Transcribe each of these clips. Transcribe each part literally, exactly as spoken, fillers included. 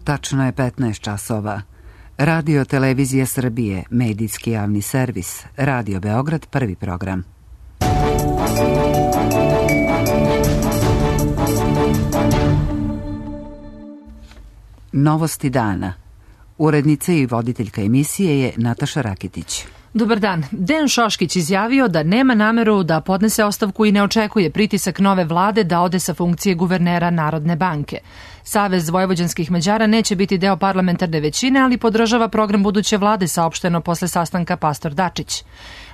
Tačno je petnaest časova. Radio Televizija Srbije, medijski javni servis, Radio Beograd, prvi program. Novosti dana. Urednica i voditeljka emisije je Nataša Rakitić. Dobar dan. Dejan Šoškić izjavio da nema nameru da podnese ostavku i ne očekuje pritisak nove vlade da ode sa funkcije guvernera Narodne banke. Savez vojvođanskih Mađara neće biti deo parlamentarne većine, ali podržava program buduće vlade, saopšteno posle sastanka Pastor Dačić.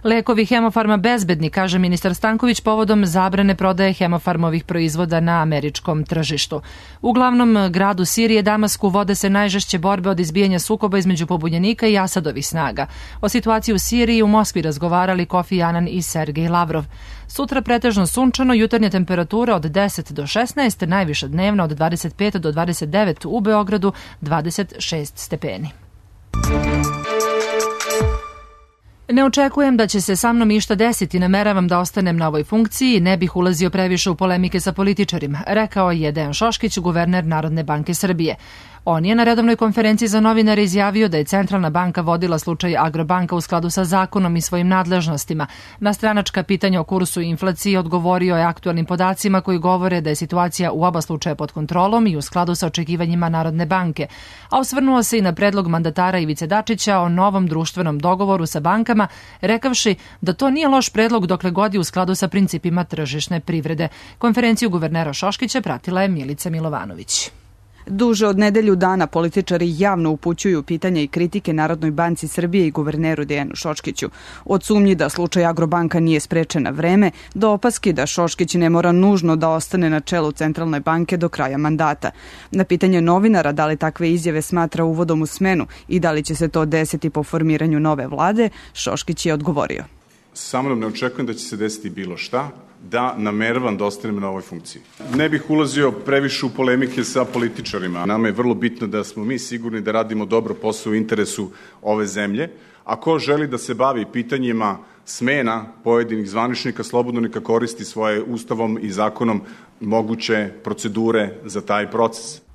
Lekovi Hemofarma bezbedni, kaže ministar Stanković, povodom zabrane prodaje Hemofarmovih proizvoda na američkom tržištu. U glavnom gradu Sirije, Damasku, vode se najžešće borbe od izbijanja sukoba između pobunjenika i Asadovih snaga. O situaciji u Siriji u Moskvi razgovarali Kofi Anan i Sergej Lavrov. Sutra pretežno sunčano, jutarnja temperatura od deset do šesnaest, najviša dnevna od dvadeset pet do dvadeset devet, u Beogradu dvadeset šest stepeni. Ne očekujem da će se sa mnom išta desiti, nameravam da ostanem na ovoj funkciji i ne bih ulazio previše u polemike sa političarima, rekao je Dejan Šoškić, guverner Narodne banke Srbije. On je na redovnoj konferenciji za novinare izjavio da je Centralna banka vodila slučaj Agrobanka u skladu sa zakonom i svojim nadležnostima. Na stranačka pitanja o kursu i inflaciji odgovorio je aktualnim podacima koji govore da je situacija u oba slučaja pod kontrolom i u skladu sa očekivanjima Narodne banke. A osvrnuo se i na predlog mandatara Ivice Dačića o novom društvenom dogovoru sa bankama, rekavši da to nije loš predlog dokle god je u skladu sa principima tržišne privrede. Konferenciju guvernera Šoškića pratila je Milica Milovanović. Duže od nedelju dana političari javno upućuju pitanja i kritike Narodnoj banci Srbije i guverneru Dejanu Šoškiću. Od sumnji da slučaj Agrobanka nije sprečen na vreme, do opaski da Šoškić ne mora nužno da ostane na čelu Centralne banke do kraja mandata. Na pitanje novinara da li takve izjave smatra uvodom u smenu i da li će se to desiti po formiranju nove vlade, Šoškić je odgovorio. Sa mnom ne očekujem da će se desiti bilo šta, da nameravam da ostanem na ovoj funkciji. Ne bih ulazio previše u polemike sa političarima. Nama je vrlo bitno da smo mi sigurni da radimo dobro posao u interesu ove zemlje, a ko želi da se bavi pitanjima smena pojedinih zvaničnika, slobodno neka koristi svoje ustavom i zakonom moguće procedure za taj proces.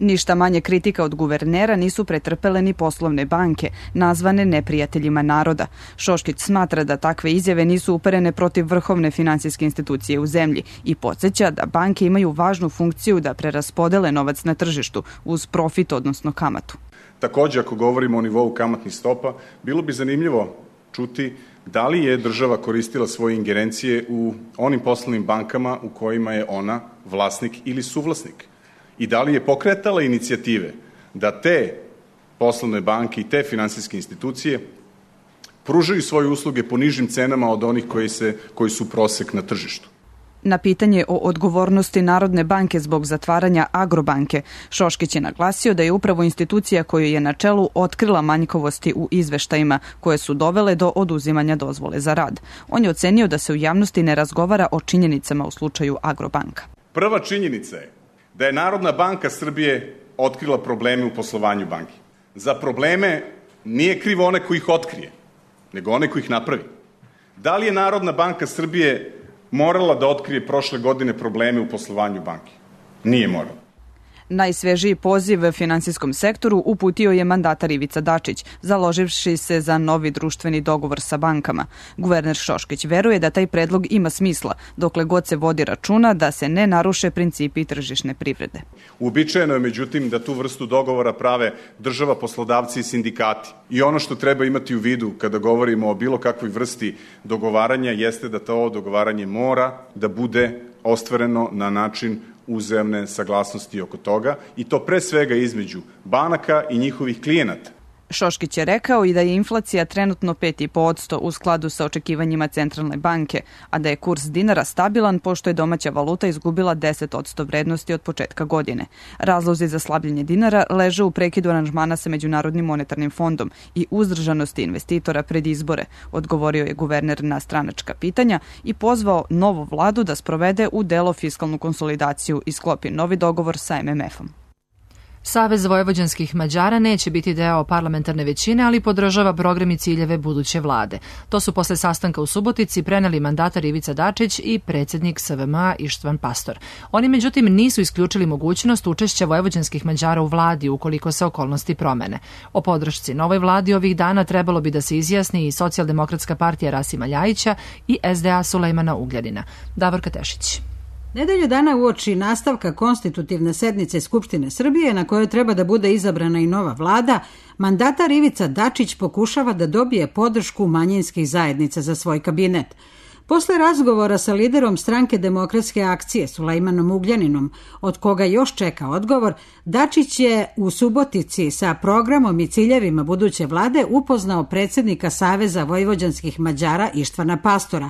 Ništa manje kritika od guvernera nisu pretrpele ni poslovne banke, nazvane neprijateljima naroda. Šoškić smatra da takve izjave nisu uperene protiv vrhovne finansijske institucije u zemlji i podsjeća da banke imaju važnu funkciju da preraspodele novac na tržištu uz profit, odnosno kamatu. Takođe, ako govorimo o nivou kamatnih stopa, bilo bi zanimljivo čuti da li je država koristila svoje ingerencije u onim poslovnim bankama u kojima je ona vlasnik ili suvlasnik. I da li je pokretala inicijative da te poslovne banke i te finansijske institucije pružaju svoje usluge po nižim cenama od onih koji, se, koji su prosek na tržištu. Na pitanje o odgovornosti Narodne banke zbog zatvaranja Agrobanke, Šoškić je naglasio da je upravo institucija koju je na čelu otkrila manjkovosti u izveštajima koje su dovele do oduzimanja dozvole za rad. On je ocenio da se u javnosti ne razgovara o činjenicama u slučaju Agrobanka. Prva činjenica je da je Narodna banka Srbije otkrila probleme u poslovanju banke. Za probleme nije krivo one koji ih otkrije, nego one koji ih napravi. Da li je Narodna banka Srbije morala da otkrije prošle godine probleme u poslovanju banke? Nije morala. Najsvežiji poziv finansijskom sektoru uputio je mandatar Ivica Dačić, založivši se za novi društveni dogovor sa bankama. Guverner Šoškić veruje da taj predlog ima smisla, dokle god se vodi računa da se ne naruše principi tržišne privrede. Uobičajeno je, međutim, da tu vrstu dogovora prave država, poslodavci i sindikati. I ono što treba imati u vidu kada govorimo o bilo kakvoj vrsti dogovaranja jeste da to dogovaranje mora da bude ostvareno na način uzajamne saglasnosti oko toga i to pre svega između banaka i njihovih klijenata. Šoškić je rekao i da je inflacija trenutno pet zarez pet posto u skladu sa očekivanjima Centralne banke, a da je kurs dinara stabilan pošto je domaća valuta izgubila deset posto vrednosti od početka godine. Razlozi za slabljenje dinara leže u prekidu aranžmana sa Međunarodnim monetarnim fondom i uzdržanosti investitora pred izbore, odgovorio je guverner na stranačka pitanja i pozvao novu vladu da sprovede u delo fiskalnu konsolidaciju i sklopi novi dogovor sa em em efom. Savez vojvođanskih Mađara neće biti deo parlamentarne većine, ali podržava program i ciljeve buduće vlade. To su posle sastanka u Subotici preneli mandatar Ivica Dačić i predsjednik S V M A Ištvan Pastor. Oni međutim nisu isključili mogućnost učešća vojvođanskih Mađara u vladi ukoliko se okolnosti promene. O podršci novoj vladi ovih dana trebalo bi da se izjasni i Socijaldemokratska partija Rasima Ljajića i S D A Sulejmana Ugljanina. Davorka Tešić. Nedelju dana uoči nastavka konstitutivne sednice Skupštine Srbije, na kojoj treba da bude izabrana i nova vlada, mandatar Ivica Dačić pokušava da dobije podršku manjinskih zajednica za svoj kabinet. Posle razgovora sa liderom stranke Demokratske akcije Sulejmanom Ugljaninom, od koga još čeka odgovor, Dačić je u Subotici sa programom i ciljevima buduće vlade upoznao predsjednika Saveza vojvođanskih Mađara Ištvana Pastora.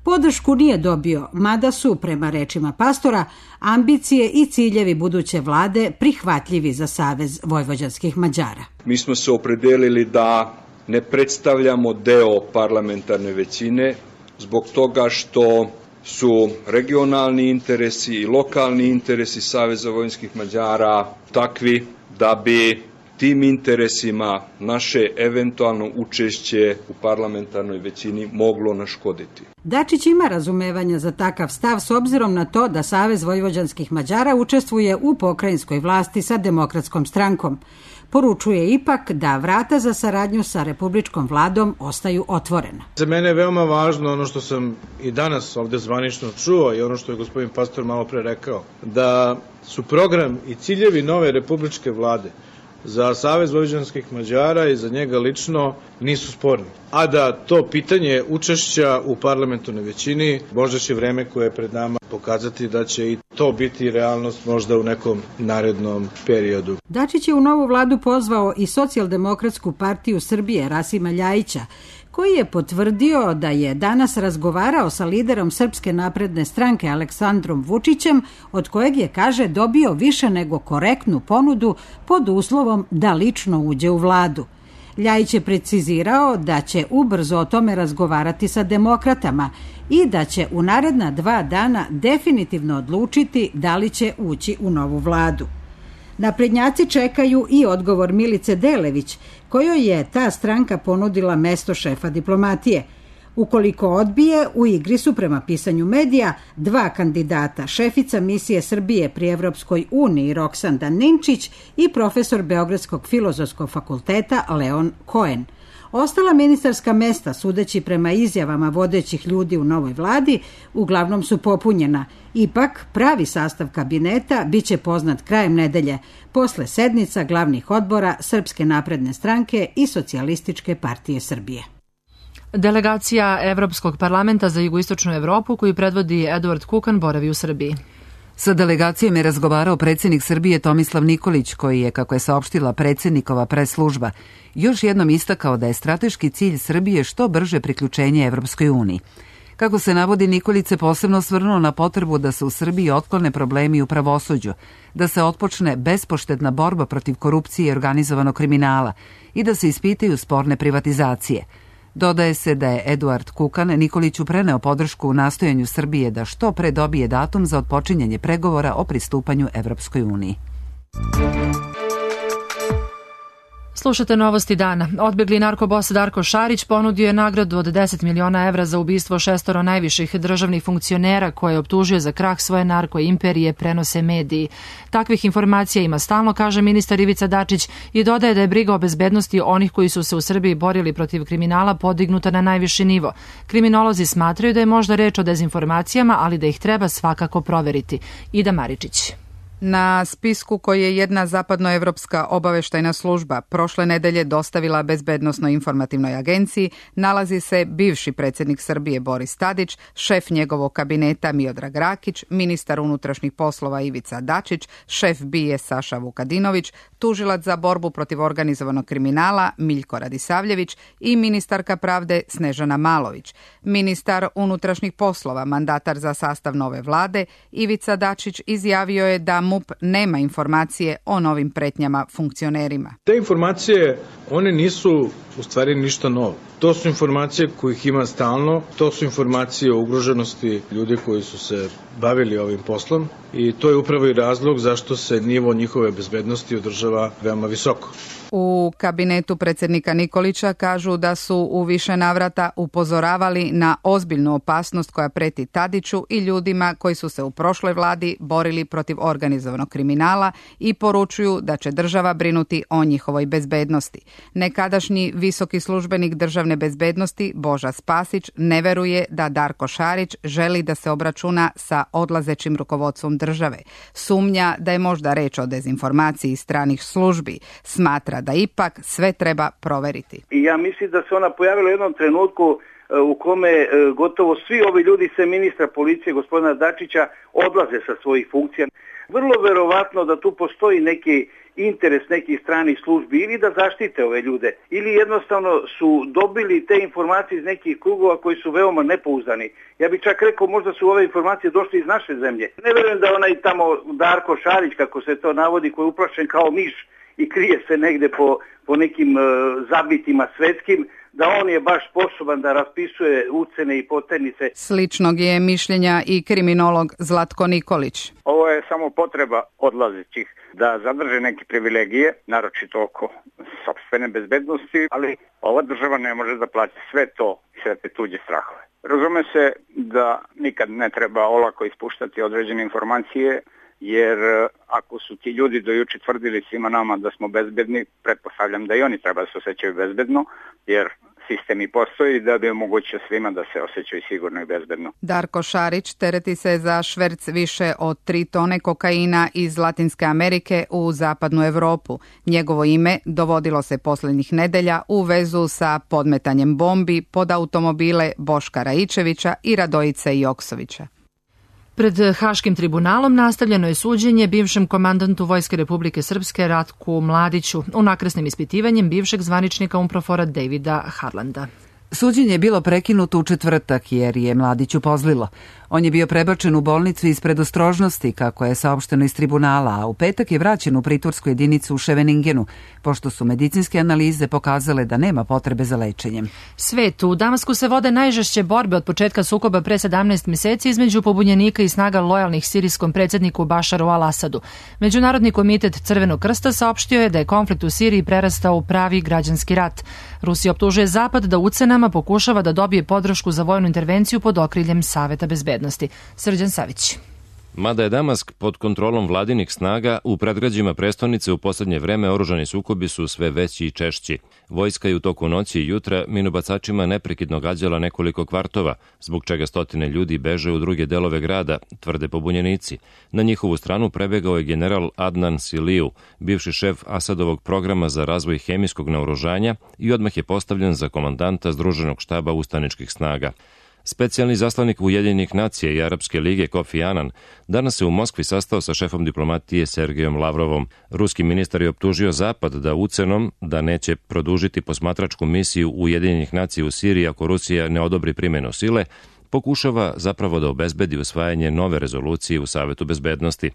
Podršku nije dobio, mada su, prema rečima Pastora, ambicije i ciljevi buduće vlade prihvatljivi za Savez vojvođanskih Mađara. Mi smo se opredelili da ne predstavljamo deo parlamentarne većine zbog toga što su regionalni interesi i lokalni interesi Saveza vojvođanskih Mađara takvi da bi tim interesima naše eventualno učešće u parlamentarnoj većini moglo naškoditi. Dačić ima razumevanja za takav stav s obzirom na to da Savez vojvođanskih Mađara učestvuje u pokrajinskoj vlasti sa Demokratskom strankom. Poručuje ipak da vrata za saradnju sa republičkom vladom ostaju otvorena. Za mene je veoma važno ono što sam i danas ovde zvanično čuo i ono što je gospodin Pastor malo pre rekao, da su program i ciljevi nove republičke vlade za Savez vojvođanskih Mađara i za njega lično nisu sporni. A da to pitanje učešća u parlamentarnoj većini možda će vreme koje je pred nama pokazati da će i to biti realnost možda u nekom narednom periodu. Dačić je u novu vladu pozvao i Socijaldemokratsku partiju Srbije Rasima Ljajića, koji je potvrdio da je danas razgovarao sa liderom Srpske napredne stranke Aleksandrom Vučićem, od kojeg je, kaže, dobio više nego korektnu ponudu pod uslovom da lično uđe u vladu. Ljajić je precizirao da će ubrzo o tome razgovarati sa demokratama i da će u naredna dva dana definitivno odlučiti da li će ući u novu vladu. Naprednjaci čekaju i odgovor Milice Delević, kojoj je ta stranka ponudila mesto šefa diplomatije. Ukoliko odbije, u igri su prema pisanju medija dva kandidata, šefica misije Srbije pri Evropskoj uniji Roksanda Ninčić i profesor Beogradskog filozofskog fakulteta Leon Cohen. Ostala ministarska mesta, sudeći prema izjavama vodećih ljudi u novoj vladi, uglavnom su popunjena. Ipak, pravi sastav kabineta biće poznat krajem nedelje, posle sednica glavnih odbora Srpske napredne stranke i Socijalističke partije Srbije. Delegacija Evropskog parlamenta za jugoistočnu Evropu, koju predvodi Eduard Kukan, boravi u Srbiji. Sa delegacijom je razgovarao predsjednik Srbije Tomislav Nikolić, koji je, kako je saopštila predsjednikova press-služba, još jednom istakao da je strateški cilj Srbije što brže priključenje Evropskoj uniji. Kako se navodi, Nikolić se posebno osvrnuo na potrebu da se u Srbiji otklone problemi u pravosuđu, da se otpočne bespoštedna borba protiv korupcije i organizovanog kriminala i da se ispitaju sporne privatizacije. Dodaje se da je Eduard Kukan Nikoliću preneo podršku u nastojanju Srbije da što pre dobije datum za otpočinjanje pregovora o pristupanju Evropskoj uniji. Slušate novosti dana. Odbegli narkobos Darko Šarić ponudio je nagradu od deset miliona evra za ubistvo šestoro najviših državnih funkcionera koje je optužio za krah svoje narko imperije, prenose mediji. Takvih informacija ima stalno, kaže ministar Ivica Dačić, i dodaje da je briga o bezbednosti onih koji su se u Srbiji borili protiv kriminala podignuta na najviši nivo. Kriminolozi smatraju da je možda reč o dezinformacijama, ali da ih treba svakako proveriti. Ida Maričić. Na spisku koji je jedna zapadnoevropska obaveštajna služba prošle nedelje dostavila Bezbednosnoj informativnoj agenciji nalazi se bivši predsjednik Srbije Boris Tadić, šef njegovog kabineta Miodrag Rakić, ministar unutrašnjih poslova Ivica Dačić, šef B I A Saša Vukadinović, tužilac za borbu protiv organizovanog kriminala Miljko Radisavljević i ministarka pravde Snežana Malović. Ministar unutrašnjih poslova, mandatar za sastav nove vlade, Ivica Dačić izjavio je da MUP nema informacije o novim pretnjama funkcionerima. Te informacije, one nisu u stvari ništa novo. To su informacije kojih ima stalno, to su informacije o ugroženosti ljudi koji su se bavili ovim poslom i to je upravo i razlog zašto se nivo njihove bezbednosti održava veoma visoko. U kabinetu predsjednika Nikolića kažu da su u više navrata upozoravali na ozbiljnu opasnost koja preti Tadiću i ljudima koji su se u prošloj vladi borili protiv organizovanog kriminala i poručuju da će država brinuti o njihovoj bezbednosti. Nekadašnji visoki službenik državne bezbednosti Boža Spasić ne veruje da Darko Šarić želi da se obračuna sa odlazećim rukovodstvom države. Sumnja da je možda reč o dezinformaciji stranih službi. Smatra da ipak sve treba proveriti. I ja mislim da se ona pojavila u jednom trenutku u kome gotovo svi ovi ljudi, sve ministra policije gospodina Dačića, odlaze sa svojih funkcija. Vrlo verovatno da tu postoji neki interes nekih stranih službi ili da zaštite ove ljude ili jednostavno su dobili te informacije iz nekih krugova koji su veoma nepouzdani. Ja bih čak rekao možda su ove informacije došle iz naše zemlje. Ne verujem da onaj tamo Darko Šarić, kako se to navodi, koji je uplašen kao miš i krije se negde po, po nekim uh, zabitima svetskim, da on je baš sposoban da raspisuje ucene i poternice. Sličnog je mišljenja i kriminolog Zlatko Nikolić. Ovo je samo potreba odlazećih da zadrže neke privilegije, naročito oko sopstvene bezbednosti, ali ova država ne može da plaća sve to, sve te tuđe strahove. Razume se da nikad ne treba olako ispuštati određene informacije, jer ako su ti ljudi do juče tvrdili svima nama da smo bezbedni, pretpostavljam da i oni treba da se osjećaju bezbedno, jer sistem i postoji da bi omogućio svima da se osjećaju sigurno i bezbedno. Darko Šarić tereti se za šverc više od tri tone kokaina iz Latinske Amerike u zapadnu Evropu. Njegovo ime dovodilo se posljednjih nedelja u vezu sa podmetanjem bombi pod automobile Boška Raičevića i Radojice Joksovića. Pred Haškim tribunalom nastavljeno je suđenje bivšem komandantu Vojske Republike Srpske Ratku Mladiću unakrsnim ispitivanjem bivšeg zvaničnika UNPROFOR-a Davida Harlanda. Suđenje je bilo prekinuto u četvrtak jer je Mladiću pozlilo. On je bio prebačen u bolnicu iz predostrožnosti, kako je saopšteno iz tribunala, a u petak je vraćen u pritvorsku jedinicu u Ševeningenu, pošto su medicinske analize pokazale da nema potrebe za lečenjem. Svet, u Damasku se vode najžešće borbe od početka sukoba pre sedamnaest meseci između pobunjenika i snaga lojalnih sirijskom predsjedniku Bašaru al-Asadu. Međunarodni komitet Crvenog krsta saopštio je da je konflikt u Siriji prerastao u pravi građanski rat. Rusija optužuje Zapad da ucenama pokušava da dobije podršku za vojnu intervenciju pod okriljem Saveta bezbednosti. Srđan Savić. Mada je Damask pod kontrolom vladinih snaga, u predgrađima prestonice u posljednje vreme oružani sukobi su sve veći i češći. Vojska je u toku noći i jutra minobacačima neprekidno gađala nekoliko kvartova, zbog čega stotine ljudi beže u druge delove grada, tvrde pobunjenici. Na njihovu stranu prebegao je general Adnan Siliju, bivši šef Asadovog programa za razvoj hemijskog naoružanja i odmah je postavljen za komandanta Združenog štaba ustaničkih snaga. Specijalni zaslanik Ujedinjenih nacija i Arapske lige Kofi Anan danas se u Moskvi sastao sa šefom diplomatije Sergejom Lavrovom. Ruski ministar je optužio Zapad da ucenom da neće produžiti posmatračku misiju Ujedinjenih nacija u Siriji ako Rusija ne odobri primjenu sile, pokušava zapravo da obezbedi usvajanje nove rezolucije u Savetu bezbednosti.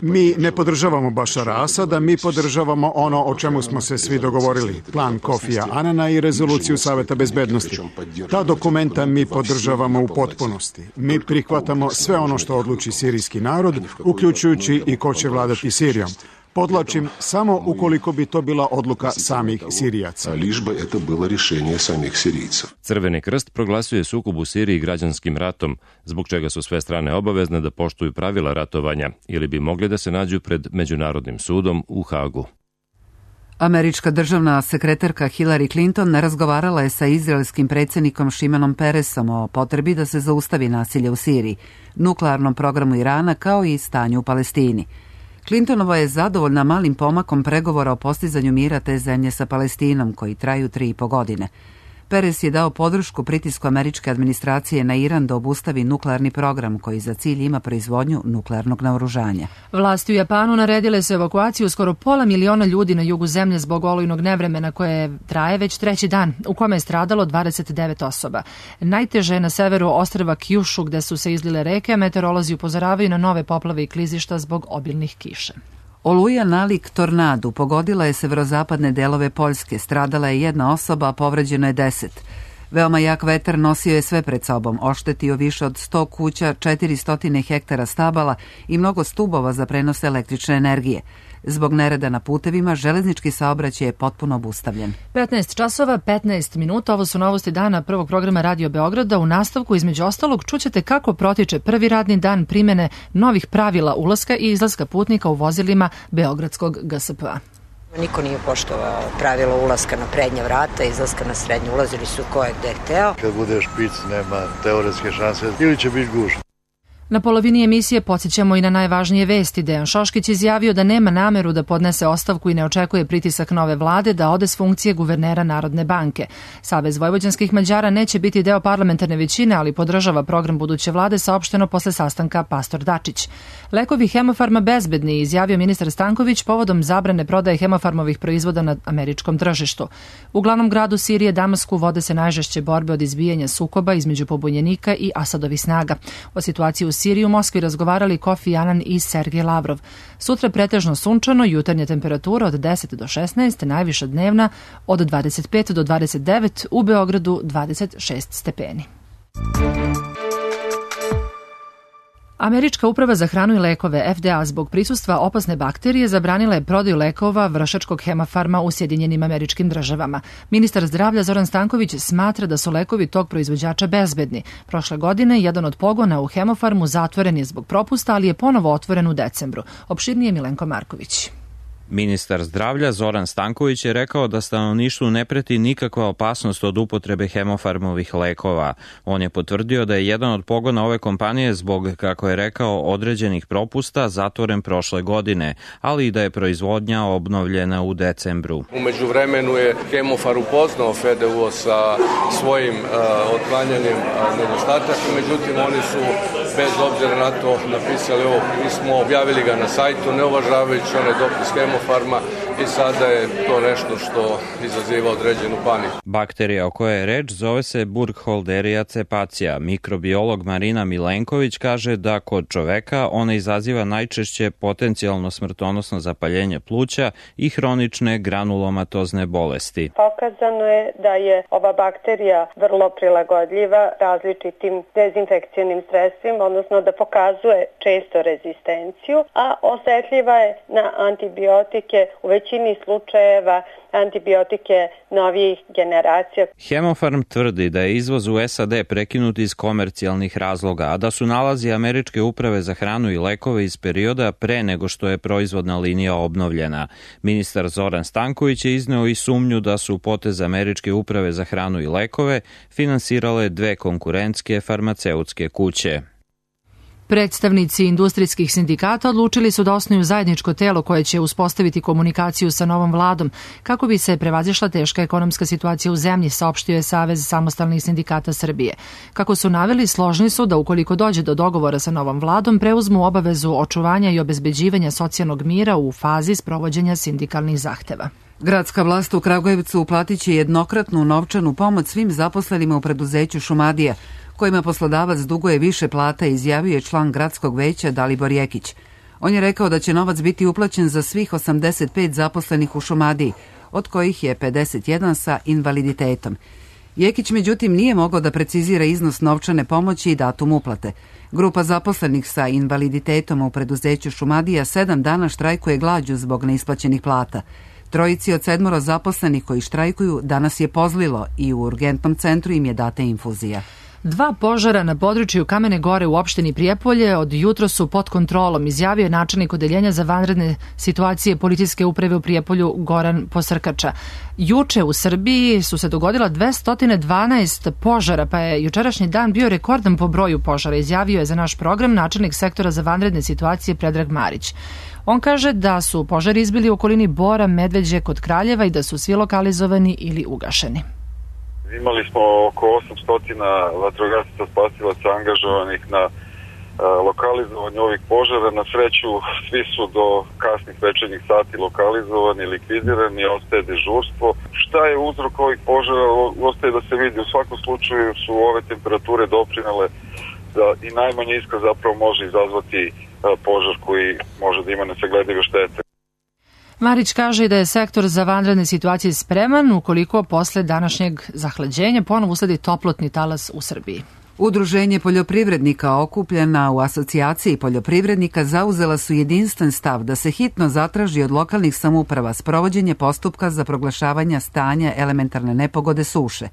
Mi ne podržavamo Bašara Asada, mi podržavamo ono o čemu smo se svi dogovorili, plan Kofija Anana i rezoluciju Saveta bezbednosti. Ta dokumenta mi podržavamo u potpunosti. Mi prihvatamo sve ono što odluči sirijski narod, uključujući i ko će vladati Sirijom. Podlačim, samo ukoliko bi to bila odluka samih Sirijaca. Crveni krst proglasio je sukob u Siriji građanskim ratom, zbog čega su sve strane obavezne da poštuju pravila ratovanja ili bi mogli da se nađu pred Međunarodnim sudom u Hagu. Američka državna sekretarka Hillary Clinton razgovarala je sa izraelskim predsjednikom Šimenom Peresom o potrebi da se zaustavi nasilje u Siriji, nuklearnom programu Irana kao i stanju u Palestini. Clintonova je zadovoljna malim pomakom pregovora o postizanju mira te zemlje sa Palestinom, koji traju tri i po godine. Perez je dao podršku pritisku američke administracije na Iran da obustavi nuklearni program koji za cilj ima proizvodnju nuklearnog naoružanja. Vlasti u Japanu naredile su evakuaciju skoro pola miliona ljudi na jugu zemlje zbog olujnog nevremena koje traje već treći dan, u kome je stradalo dvadeset devet osoba. Najteže je na severu ostrva Kyushu gde su se izlile reke, a meteorolozi upozoravaju na nove poplave i klizišta zbog obilnih kiša. Oluja nalik tornadu pogodila je severozapadne delove Poljske, stradala je jedna osoba, a povređeno je deset. Veoma jak vetar nosio je sve pred sobom, oštetio više od sto kuća, četiristo hektara stabala i mnogo stubova za prenos električne energije. Zbog nereda na putevima, železnički saobraćaj je potpuno obustavljen. petnaest časova, petnaest minuta, ovo su novosti dana prvog programa Radio Beograda. U nastavku, između ostalog, čućete kako protiče prvi radni dan primene novih pravila ulaska i izlaska putnika u vozilima Beogradskog G S P-a. Niko nije poštovao pravilo ulaska na prednja vrata, izlaska na srednje, ulazili su ko je gde hteo. Kad bude špic, nema teoretske šanse ili će biti gužva. Na polovini emisije podsjećamo i na najvažnije vesti. Dejan Šoškić izjavio da nema nameru da podnese ostavku i ne očekuje pritisak nove vlade da ode s funkcije guvernera Narodne banke. Savez vojvođanskih Mađara neće biti deo parlamentarne većine, ali podržava program buduće vlade, saopšteno posle sastanka Pastor Dačić. Lekovi Hemofarma bezbedni, izjavio ministar Stanković povodom zabrane prodaje Hemofarmovih proizvoda na američkom tržištu. U glavnom gradu Sirije, Damasku, vode se najžešće borbe od izbijanja sukoba između pobunjenika i Asadovih snaga. O situaciji u Siriji u Moskvi razgovarali Kofi Anan i Sergej Lavrov. Sutra pretežno sunčano, jutarnja temperatura od deset do šesnaest, najviša dnevna od dvadeset pet do dvadeset devet, u Beogradu dvadeset šest stepeni. Američka uprava za hranu i lekove F D A zbog prisustva opasne bakterije zabranila je prodaju lekova vršačkog Hemofarma u Sjedinjenim Američkim Državama. Ministar zdravlja Zoran Stanković smatra da su lekovi tog proizvođača bezbedni. Prošle godine jedan od pogona u Hemofarmu zatvoren je zbog propusta, ali je ponovo otvoren u decembru. Opširnije Milenko Marković. Ministar zdravlja Zoran Stanković je rekao da stanovništvu ne preti nikakva opasnost od upotrebe Hemofarmovih lekova. On je potvrdio da je jedan od pogona ove kompanije zbog, kako je rekao, određenih propusta zatvoren prošle godine, ali i da je proizvodnja obnovljena u decembru. U međuvremenu je Hemofar upoznao F D U sa svojim uh, otklanjanjem uh, nedostataka, međutim oni su bez obzira na to napisali ovo pismo, objavili ga na sajtu, ne uvažavajući onaj dopis Hemofarma, i sada je to nešto što izaziva određenu paniku. Bakterija o kojoj je reč zove se Burkholderia cepacia. Mikrobiolog Marina Milenković kaže da kod čoveka ona izaziva najčešće potencijalno smrtonosno zapaljenje pluća i hronične granulomatozne bolesti. Pokazano je da je ova bakterija vrlo prilagodljiva različitim dezinfekcionim sredstvima, odnosno da pokazuje često rezistenciju, a osetljiva je na antibiotike, u većini slučajeva antibiotike novijih generacija. Hemofarm tvrdi da je izvoz u S A D prekinut iz komercijalnih razloga, a da su nalazi Američke uprave za hranu i lekove iz perioda pre nego što je proizvodna linija obnovljena. Ministar Zoran Stanković je izneo i sumnju da su potez Američke uprave za hranu i lekove finansirale dve konkurentske farmaceutske kuće. Predstavnici industrijskih sindikata odlučili su da osnuju zajedničko telo koje će uspostaviti komunikaciju sa novom vladom kako bi se prevazišla teška ekonomska situacija u zemlji, saopštio je Savez samostalnih sindikata Srbije. Kako su naveli, složni su da ukoliko dođe do dogovora sa novom vladom, preuzmu obavezu očuvanja i obezbeđivanja socijalnog mira u fazi sprovođenja sindikalnih zahteva. Gradska vlast u Kragujevcu uplatit će jednokratnu novčanu pomoć svim zaposlenima u preduzeću Šumadija, kojima poslodavac duguje više plata, izjavio je član gradskog veća Dalibor Jekić. On je rekao da će novac biti uplaćen za svih osamdeset pet zaposlenih u Šumadiji, od kojih je pedeset jedan sa invaliditetom. Jekić međutim nije mogao da precizira iznos novčane pomoći i datum uplate. Grupa zaposlenih sa invaliditetom u preduzeću Šumadija sedam dana štrajkuje glađu zbog neisplaćenih plata. Trojici od sedmoro zaposlenih koji štrajkuju danas je pozlilo i u urgentnom centru im je data infuzija. Dva požara na području Kamene Gore u opštini Prijepolje od jutro su pod kontrolom, izjavio je načelnik odeljenja za vanredne situacije policijske uprave u Prijepolju Goran Posrkača. Juče u Srbiji su se dogodila dvesta dvanaest požara, pa je jučerašnji dan bio rekordan po broju požara, izjavio je za naš program načelnik sektora za vanredne situacije Predrag Marić. On kaže da su požari izbili u okolini Bora, Medveđe kod Kraljeva i da su svi lokalizovani ili ugašeni. Imali smo oko osamsto vatrogasaca spasilaca angažovanih na lokalizovanju ovih požara. Na sreću svi su do kasnih večernjih sati lokalizovani, likvidirani, ostaje dežurstvo. Šta je uzrok ovih požara? Ostaje da se vidi. U svakom slučaju su ove temperature doprinele da i najmanja iskra zapravo može izazvati požar koji može da ima nesagledive štete. Marić kaže da je sektor za vanredne situacije spreman ukoliko posle današnjeg zahlađenja ponovo usledi toplotni talas u Srbiji. Udruženje poljoprivrednika okupljena u asocijaciji poljoprivrednika zauzela su jedinstven stav da se hitno zatraži od lokalnih samouprava sprovođenje postupka za proglašavanje stanja elementarne nepogode suše.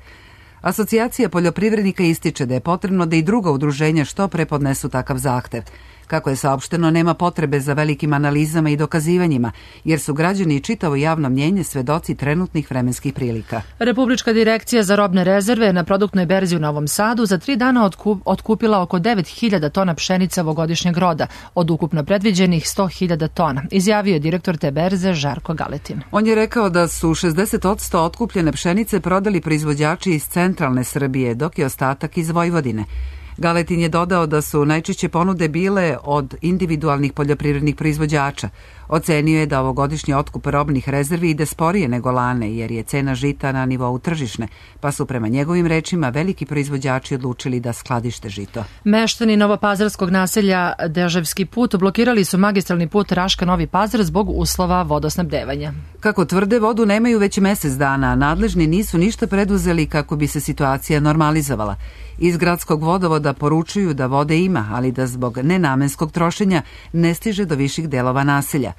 Asocijacija poljoprivrednika ističe da je potrebno da i druga udruženja što pre podnesu takav zahtev. Kako je saopšteno, nema potrebe za velikim analizama i dokazivanjima, jer su građani i čitavo javno mnjenje svedoci trenutnih vremenskih prilika. Republička direkcija za robne rezerve na produktnoj berzi u Novom Sadu za tri dana otkup, otkupila oko devet hiljada tona pšenice ovogodišnjeg roda, od ukupno predviđenih sto hiljada tona, izjavio je direktor te berze Žarko Galetin. On je rekao da su šezdeset posto otkupljene pšenice prodali proizvođači iz centralne Srbije, dok je ostatak iz Vojvodine. Galetin je dodao da su najčešće ponude bile od individualnih poljoprivrednih proizvođača. Ocenio je da ovogodišnji otkup robnih rezervi ide sporije nego lane, jer je cena žita na nivou tržišne, pa su prema njegovim rečima veliki proizvođači odlučili da skladište žito. Meštani novopazarskog naselja Deževski put blokirali su magistralni put Raška-Novi Pazar zbog uslova vodosnabdevanja. Kako tvrde, vodu nemaju već mesec dana, a nadležni nisu ništa preduzeli kako bi se situacija normalizovala. Iz gradskog vodovoda poručuju da vode ima, ali da zbog nenamenskog trošenja ne stiže do viših delova naselja.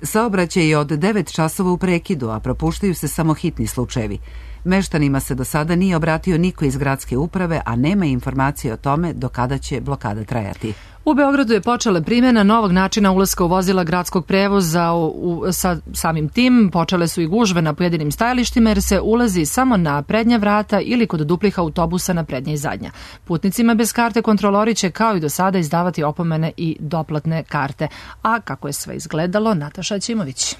Saobraćaj je od devet časova u prekidu, a propuštaju se samo hitni slučajevi. Meštanima se do sada nije obratio niko iz gradske uprave, a nema informacije o tome do kada će blokada trajati. U Beogradu je počela primjena novog načina ulaska u vozila gradskog prevoza. U, u, sa samim tim počele su i gužve na pojedinim stajalištima jer se ulazi samo na prednja vrata ili kod duplih autobusa na prednja i zadnja. Putnicima bez karte kontrolori će kao i do sada izdavati opomene i doplatne karte. A kako je sve izgledalo, Nataša Ćimović.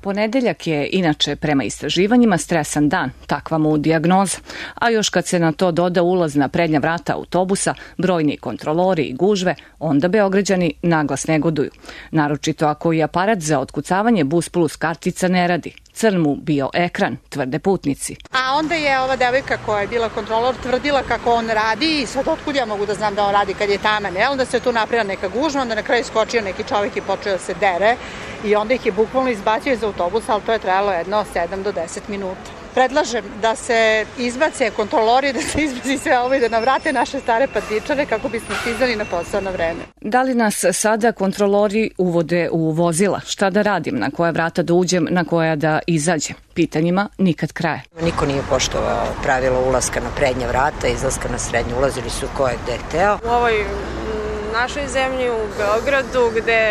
Ponedeljak je inače prema istraživanjima stresan dan, takva mu dijagnoza. A još kad se na to doda ulaz na prednja vrata autobusa, brojni kontrolori i gužve, onda Beograđani naglas negoduju. Naročito ako i aparat za otkucavanje Bus Plus kartica ne radi. Crn mu bio ekran, tvrde putnici. A onda je ova devojka koja je bila kontrolor tvrdila kako on radi i sad otkud ja mogu da znam da on radi kad je taman. E? Onda se tu napravila neka gužva, onda na kraju skočio neki čovjek i počeo da se dere i onda ih je bukvalno izbacio iz autobusa, ali to je trajalo jedno sedam do deset minuta. Predlažem da se izbace kontrolori, da se izbaci sve ovo i da navrate naše stare patičare kako bismo stizali na posao na vreme. Da li nas sada kontrolori uvode u vozila? Šta da radim? Na koja vrata da uđem? Na koja da izađem? Pitanjima nikad kraja. Niko nije poštovao pravilo ulaska na prednja vrata, izlaska na srednju. Ulazili su ko je gde hteo. U ovoj našoj zemlji, u Beogradu, gde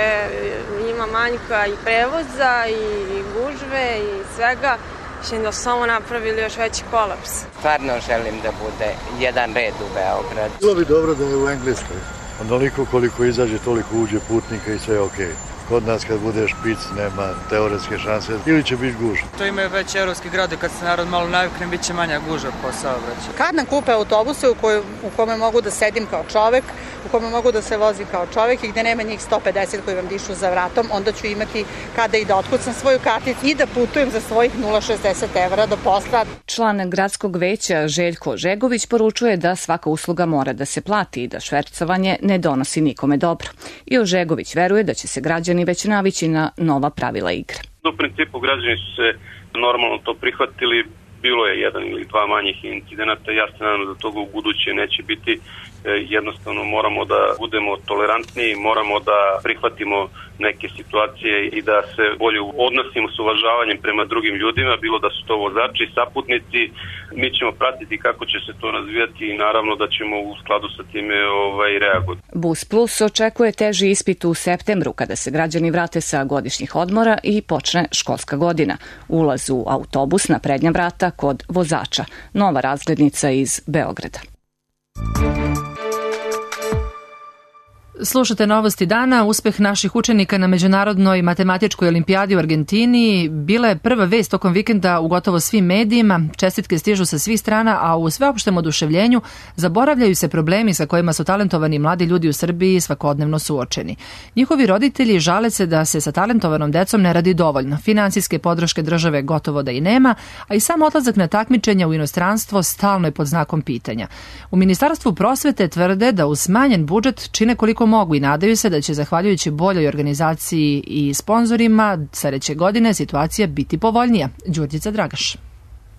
ima manjka i prevoza i gužve i svega, mislim da su samo napravili još veći kolaps. Stvarno želim da bude jedan red u Beogradu. Bilo bi dobro da je u Engleskoj. Onoliko koliko izađe, toliko uđe putnika i sve je okej. Kod nas kad bude špic nema teoretske šanse ili će biti gužva. To imaju već evropski grade, kad se narod malo navikne, bit će manja gužva po saobraćaju. Kad nam kupe autobuse u, koj, u kome mogu da sedim kao čovek, u kome mogu da se vozim kao čovek i gde nema njih sto pedeset koji vam dišu za vratom, onda ću imati kada i da otkucam svoju karticu i da putujem za svojih nula zarez šezdeset evra do posla. Član gradskog veća Željko Žegović poručuje da svaka usluga mora da se plati i da švercovanje ne donosi nikome dobro. I Žegović veruje da će se građani već navići na nova pravila igre. U principu građani su se normalno to prihvatili, bilo je jedan ili dva manjih incidenata, ja se nadam da toga u buduće neće biti. Jednostavno moramo da budemo tolerantniji, moramo da prihvatimo neke situacije i da se bolje odnosimo s uvažavanjem prema drugim ljudima, bilo da su to vozači, saputnici. Mi ćemo pratiti kako će se to razvijati i naravno da ćemo u skladu sa time ovaj, reagovati. Bus Plus očekuje teži ispit u septembru kada se građani vrate sa godišnjih odmora i počne školska godina. Ulaz u autobus na prednja vrata kod vozača. Nova razglednica iz Beograda. Slušate novosti dana. Uspeh naših učenika na Međunarodnoj matematičkoj olimpijadi u Argentini bila je prva vest tokom vikenda u gotovo svim medijima. Čestitke stižu sa svih strana, a u sveopštem oduševljenju zaboravljaju se problemi sa kojima su talentovani mladi ljudi u Srbiji svakodnevno suočeni. Njihovi roditelji žale se da se sa talentovanom decom ne radi dovoljno. Finansijske podrške države gotovo da i nema, a i sam odlazak na takmičenja u inostranstvo stalno je pod znakom pitanja. U Ministarstvu prosvete tvrde da uz smanjen budžet čine koliko mogu i nadaju se da će, zahvaljujući boljoj organizaciji i sponzorima, sledeće godine situacija biti povoljnija. Đurđica Dragaš.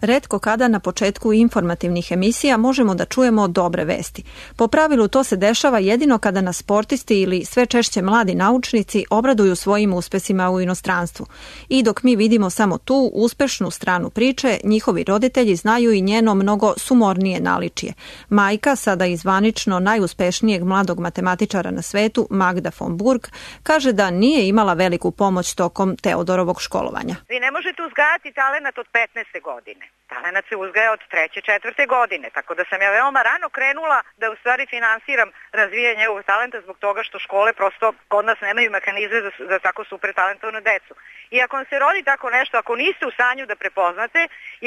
Retko kada na početku informativnih emisija možemo da čujemo dobre vesti. Po pravilu to se dešava jedino kada nas sportisti ili sve češće mladi naučnici obraduju svojim uspesima u inostranstvu. I dok mi vidimo samo tu uspešnu stranu priče, njihovi roditelji znaju i njeno mnogo sumornije naličje. Majka, sada i zvanično najuspešnijeg mladog matematičara na svetu, Magda von Burg, kaže da nije imala veliku pomoć tokom Teodorovog školovanja. Vi ne možete uzgajati talenat od petnaeste godine. Talenat se uzgaja od treće, četvrte godine, tako da sam ja veoma rano krenula da u stvari finansiram razvijanje ovog talenta zbog toga što škole prosto kod nas nemaju mehanizme za, za tako super talentovnu decu. I ako vam se rodi tako nešto, ako niste u stanju da prepoznate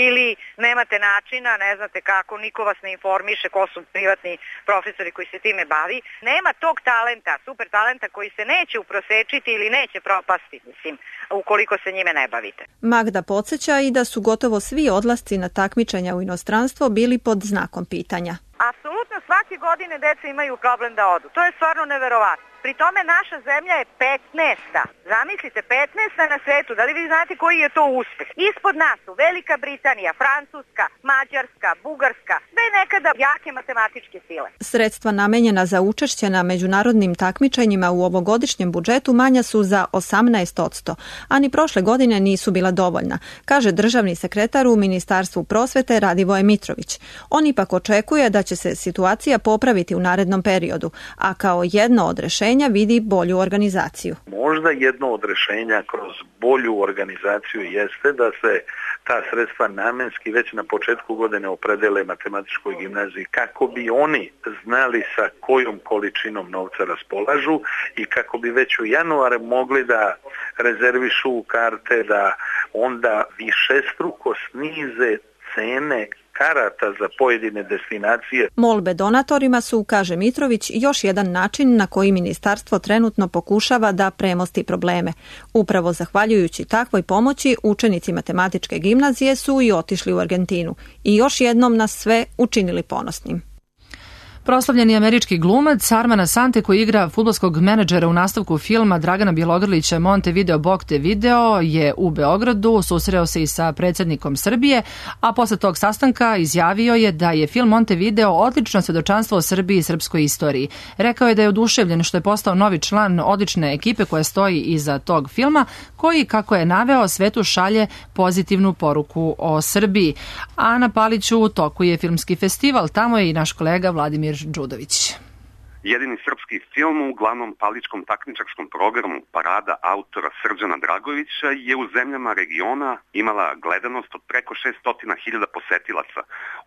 ili nemate načina, ne znate kako, niko vas ne informiše ko su privatni profesori koji se time bavi, nema tog talenta, super talenta koji se neće uprosečiti ili neće propasti, mislim, ukoliko se njime ne bavite. Magda podsjeća i da su gotovo svi odlasci na takmičenja u inostranstvo bili pod znakom pitanja. Apsolutno svake godine deca imaju problem da odu. To je stvarno neverovatno. Pri tome naša zemlja je petnaesta. Zamislite, petnaesta na svetu. Da li vi znate koji je to uspeh? Ispod nas su Velika Britanija, Francuska, Mađarska, Bugarska, sve nekada jake matematičke sile. Sredstva namenjena za učešće na međunarodnim takmičenjima u ovogodišnjem budžetu manja su za osamnaest posto, a ni prošle godine nisu bila dovoljna, kaže državni sekretar u Ministarstvu prosvete Radivoje Mitrović. On ipak očekuje da će se situacija popraviti u narednom periodu, a kao jedno od rešenja vidi bolju organizaciju. Možda jedno od rešenja kroz bolju organizaciju jeste da se ta sredstva namenski već na početku godine opredele matematičkoj gimnaziji kako bi oni znali sa kojom količinom novca raspolažu i kako bi već u januaru mogli da rezervišu karte, da onda višestruko snize cene karata za pojedine destinacije. Molbe donatorima su, kaže Mitrović, još jedan način na koji ministarstvo trenutno pokušava da premosti probleme. Upravo zahvaljujući takvoj pomoći, učenici matematičke gimnazije su i otišli u Argentinu i još jednom nas sve učinili ponosnim. Proslavljeni američki glumac Arman Asante, koji igra fudbalskog menadžera u nastavku filma Dragana Bjelogrlića Montevideo Bog te video, je u Beogradu susreo se i sa predsjednikom Srbije, a posle tog sastanka izjavio je da je film Montevideo odlično svedočanstvo o Srbiji i srpskoj istoriji. Rekao je da je oduševljen što je postao novi član odlične ekipe koja stoji iza tog filma, koji, kako je naveo, svetu šalje pozitivnu poruku o Srbiji. A na Paliću u toku je filmski festival, tamo je i naš kolega Vladimir Đudović. Jedini srpski film u glavnom paličkom takmičarskom programu Parada autora Srđana Dragovića je u zemljama regiona imala gledanost od preko šessto hiljada posetilaca,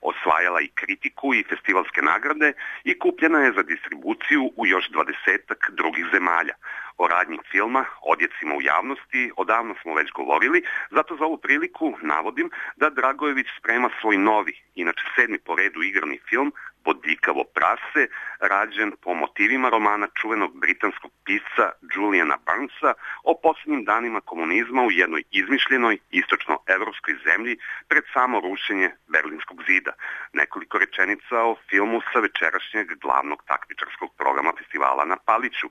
osvajala i kritiku i festivalske nagrade i kupljena je za distribuciju u još dvadesetak drugih zemalja. O radnji filma, odjecima u javnosti, odavno smo već govorili, zato za ovu priliku navodim da Dragojević sprema svoj novi, inače sedmi po redu igrani film Bodljikavo prase, rađen po motivima romana čuvenog britanskog pisca Juliana Barnesa o posljednjim danima komunizma u jednoj izmišljenoj istočnoevropskoj zemlji pred samo rušenje Berlinskog zida. Nekoliko rečenica o filmu sa večerašnjeg glavnog takmičarskog programa festivala na Paliću.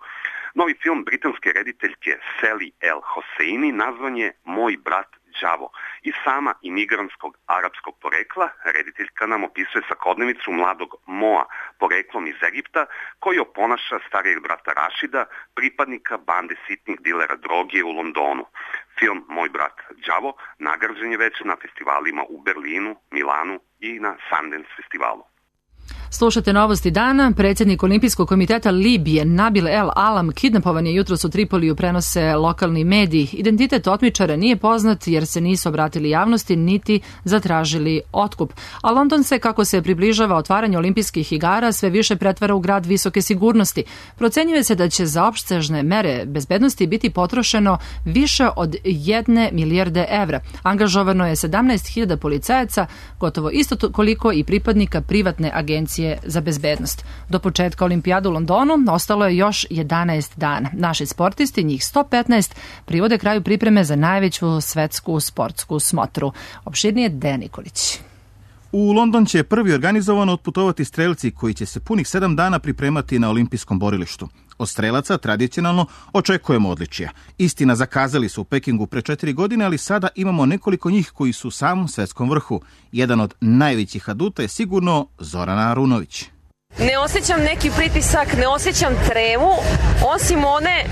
Novi film britanske rediteljke Sally L. Hosseini nazvan je Moj brat đavo. I sama imigrantskog arapskog porekla, rediteljka nam opisuje svakodnevicu mladog Moa, poreklom iz Egipta, koji oponaša starijeg brata Rašida, pripadnika bande sitnih dilera droge u Londonu. Film Moj brat đavo nagrađen je već na festivalima u Berlinu, Milanu i na Sundance festivalu. Slušate novosti dana. Predsjednik Olimpijskog komiteta Libije Nabil El Alam kidnapovan je jutros u Tripoliju, prenose lokalni mediji. Identitet otmičara nije poznat jer se nisu obratili javnosti niti zatražili otkup. A London se, kako se približava otvaranje olimpijskih igara, sve više pretvara u grad visoke sigurnosti. Procenjuje se da će za opsežne mere bezbednosti biti potrošeno više od jedne milijarde evra. Angažovano je sedamnaest hiljada policajaca, gotovo isto koliko i pripadnika privatne agencije za bezbednost. Do početka olimpijada u Londonu ostalo je još jedanaest dana. Naši sportisti, njih sto petnaest, privode kraju pripreme za najveću svetsku sportsku smotru. Opširnije Dejan Nikolić. U London će prvi organizovano otputovati strelci koji će se punih sedam dana pripremati na olimpijskom borilištu. Od strelaca tradicionalno očekujemo odličija. Istina, zakazali su u Pekingu pre četiri godine, ali sada imamo nekoliko njih koji su u samom svetskom vrhu. Jedan od najvećih aduta je sigurno Zorana Arunović. Ne osjećam neki pritisak, ne osjećam tremu, osim one,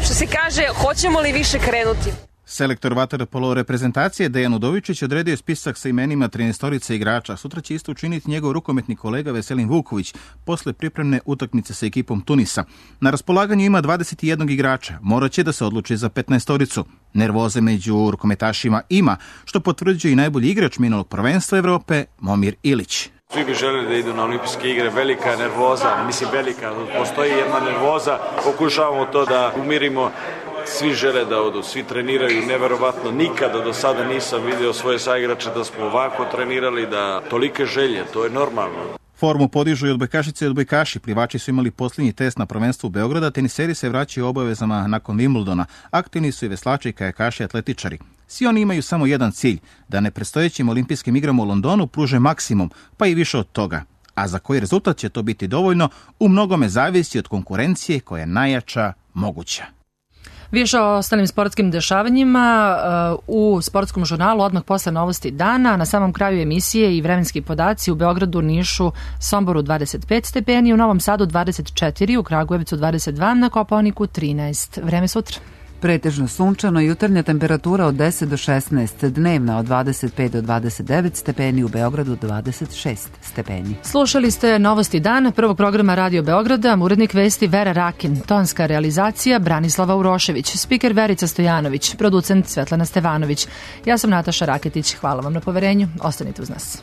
što se kaže, hoćemo li više krenuti. Selektor vaterpolo reprezentacije Dejan Udovičić odredio spisak sa imenima trinaestorice igrača. Sutra će isto učiniti njegov rukometni kolega Veselin Vuković posle pripremne utakmice sa ekipom Tunisa. Na raspolaganju ima dvadeset jedan igrača, morat će da se odluči za petnaestoricu. Nervoze među rukometašima ima, što potvrđuje i najbolji igrač minulog prvenstva Evrope, Momir Ilić. Svi bi želeli da idu na olimpijske igre, velika je nervoza, mislim velika, postoji jedna nervoza, pokušavamo to da umirimo. Svi žele da odu, svi treniraju neverovatno, nikada do sada nisam vidio svoje saigrače da smo ovako trenirali, da tolike želje, to je normalno. Formu podižu i odbojkašice i odbojkaši. Plivači su imali posljednji test na prvenstvu Beograda, teniseri se vraćaju obavezama nakon Wimbledona. Aktivni su i veslači, kajakaši, atletičari. Svi oni imaju samo jedan cilj, da nepredstojećim olimpijskim igrama u Londonu pruže maksimum, pa i više od toga. A za koji rezultat će to biti dovoljno, u mnogome zavisi od konkurencije koja je najjača moguća. Više o ostalim sportskim dešavanjima u sportskom žurnalu odmah posle novosti dana. Na samom kraju emisije i vremenski podaci: u Beogradu, Nišu, Somboru dvadeset pet stepeni, u Novom Sadu dvadeset četiri, u Kragujevcu dvadeset dva, na Kopaoniku trinaest. Vreme sutra. Pretežno sunčano, jutarnja temperatura od deset do šesnaest, dnevna od dvadeset pet do dvadeset devet stepeni, u Beogradu dvadeset šest stepeni. Slušali ste novosti dana prvog programa Radio Beograda, urednik vesti Vera Rakin, tonska realizacija Branislava Urošević, spiker Verica Stojanović, producent Svetlana Stevanović. Ja sam Nataša Raketić, hvala vam na poverenju, ostanite uz nas.